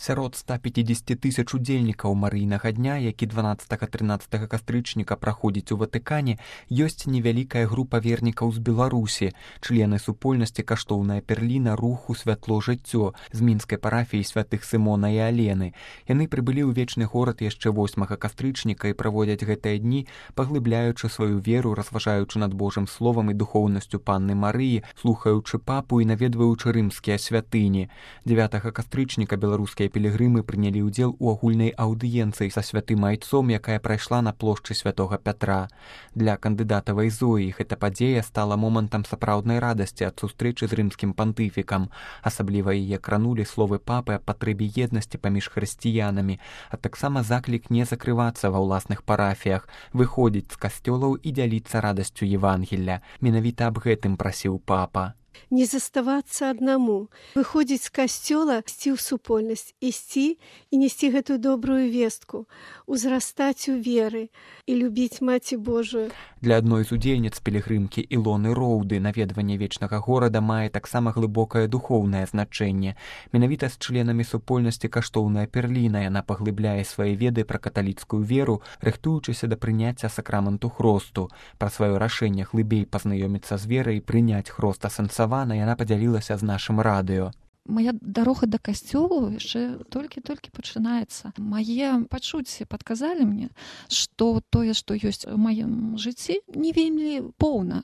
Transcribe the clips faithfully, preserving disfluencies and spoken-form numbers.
Сярод ста пяцідзесяці тысяч удзельнікаў марыйнага дня, які дванаццатага-трынаццатага кастрычніка праходзіць у Ватыкане, ёсць невялікая група вернікаў з Беларусі, члены супольнасці «Каштоўная перліна» руху «Святло жыццё» з мінскай парафіі святых Сымона і Алены. Яны прыбылі ў вечны горад яшчэ восьмага кастрычніка і праводзяць гэтыя дні, паглыбляючы сваю веру, разважаючы над Божым словам і духоўнасцю Панны Марыі, слухаючы папу і наведваючы рымскія святыні. дзевятага кастрычніка беларускія пілігрымы прынялі ўдзел у агульнай аўдыенцыі са святым айцом, якая прайшла на плошчы святога Пятра. Для кандыдатавай Зоі гэта падзея стала момантам сапраўднай радасці ад сустрэчы з рымскім пантыфікам. Асабліва яе кранулі словы папы аб патрэбе еднасці паміж хрысціянамі, а таксама заклік не закрывацца ва ўласных парафіях, выходзіць з касцёлаў і дзяліцца радасцю Евангелля. Менавіта аб гэтым прасіў папа. Не заставацца аднаму, выходзіць з касцёла, ісці ў супольнасць, ісці і несці гэтую добрую вестку, узрастаць у веры і любіць Маці Божую. Для адной з удзельніц пілігрымкі Ілоны Роўды наведванне вечнага горада мае таксама глыбокае духоўнае значэнне. Менавіта з членамі супольнасці «Каштоўная перліна» яна паглыбляе свае веды пра каталіцкую веру, рыхтуючыся да прыняцця сакраменту хросту. Пра сваё рашэнне глыбей пазнаёміцца з верай і прыняць хрост асэнсавана яна падзялілася з нашым радыё. Моя дарога да касцёлу яшчэ толькі-толькі пачынаецца. Мае пачуцці падказалі мне, што тое, што ёсць у маім жыцці, не вельмі поўна,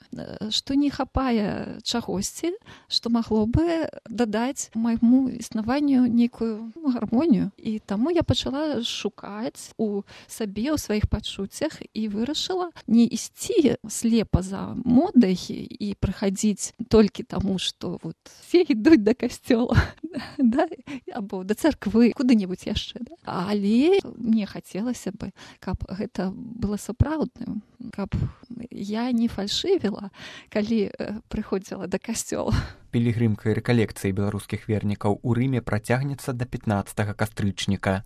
што не хапае чагосьці, што магло бы дадаць майму існаванню нейкую гармонію. І таму я пачала шукаць у сабе, у сваіх пачуццях і вырашыла не ісці слепа за модай і прыхадзіць толькі таму, што вот все ідуць да касцёла. Да, або да царквы, куды-небудзь яшчэ. Да? Але мне хацелася бы, каб гэта было сапраўдным, каб я не фальшывіла, калі прыходзіла да касцёла. Пілігрымка рэкалекцыі беларускіх вернікаў у Рыме працягнецца да пятнаццатага кастрычніка.